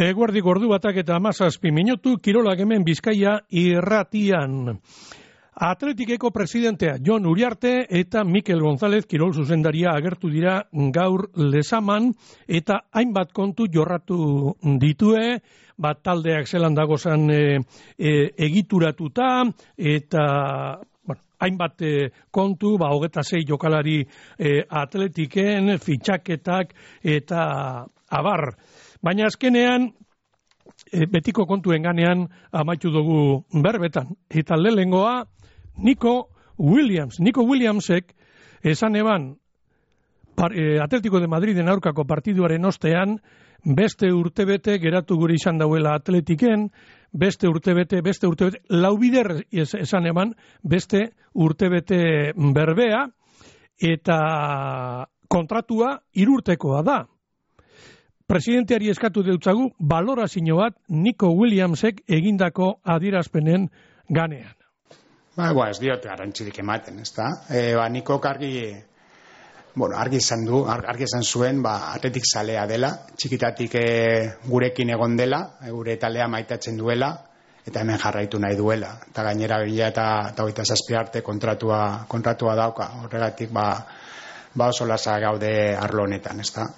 Eguerdi ordu batak eta 17 minutu, kirolak hemen Bizkaia irratian. Atletikeko presidentea Jon Uriarte eta Mikel González kirol zuzendaria agertu dira gaur Lezaman eta hainbat kontu jorratu ditue, bat taldeak zelan dagozan egituratuta eta hainbat kontu, 26 jokalari atletiken, fitxaketak eta abar. Baina azkenean, betiko kontuen ganean amaitu dugu berbetan. Eta lehengoa, Nico Williamsek esan eban Atletico de Madriden aurkako partiduaren ostean, beste urtebete geratu gure izan dauela Atletiken, beste urtebete, laubider esan eban, beste urtebete berbea, eta kontratua 3 urtekoa da. Presidenteari eskatu deutzagu balorazio bat Nico Williamsek egindako adierazpenen ganean. Ez diote garrantzirik ematen, ezta? Nikok argi izan zuen, atletik zalea dela, txikitatik gurekin egon dela, gure taldea maitatzen duela, eta hemen jarraitu nahi duela. Eta gainera 2027 arte kontratua dauka, horregatik oso lasa gaude arlo honetan, ezta?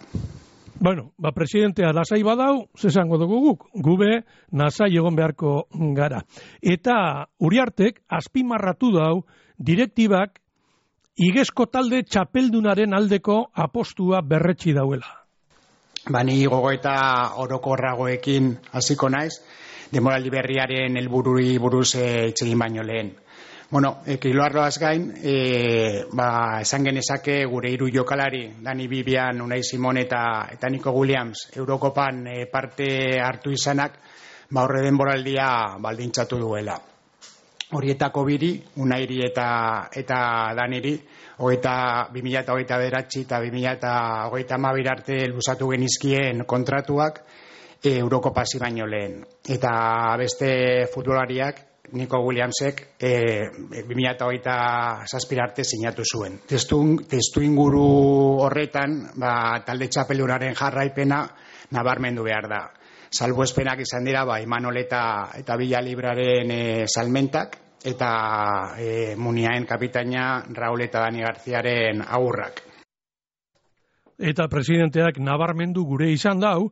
Presidentea lasai badau, zesango dugu guk, gube nasai egon beharko gara. Eta Uriartek azpimarratu dau direktibak igezko talde txapeldunaren aldeko apostua berretsi dauela. Ni gogoeta orokorragoekin hasiko naiz, denboraldi berriaren helbururi buruz hitz egin baino lehen. Kiloarloaz gain, esan genezake gure 3 jokalari, Dani Bibian, Unai Simon eta Nico Williams, Eurokopan parte hartu izanak, horre denboraldia baldintzatu duela. Horietako 2, Unairi eta Daniri, 2029 eta 2032 arte luzatu genizkien kontratuak Eurokopa hasi baino lehen. Eta beste futbolariak, Nico Williamsek 2027 arte sinatu zuen. Testu inguru horretan, talde txapeldunaren jarraipena nabarmendu behar da. Salbuespenak izan dira, Imanol eta Villalibraren salmentak, eta Muniaen kapitaina Raúl eta Dani Garziaren agurrak. Eta presidenteak nabarmendu gure izan dau,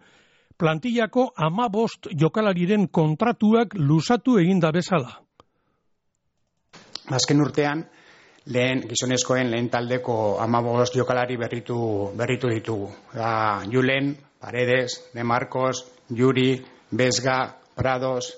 plantillako 15 jokalariren kontratuak luzatu eginda bezala. Azken urtean, gizonezkoen lehen taldeko 15 jokalari berritu ditugu. Julen, Paredes, De Marcos, Yuri, Vesga, Prados,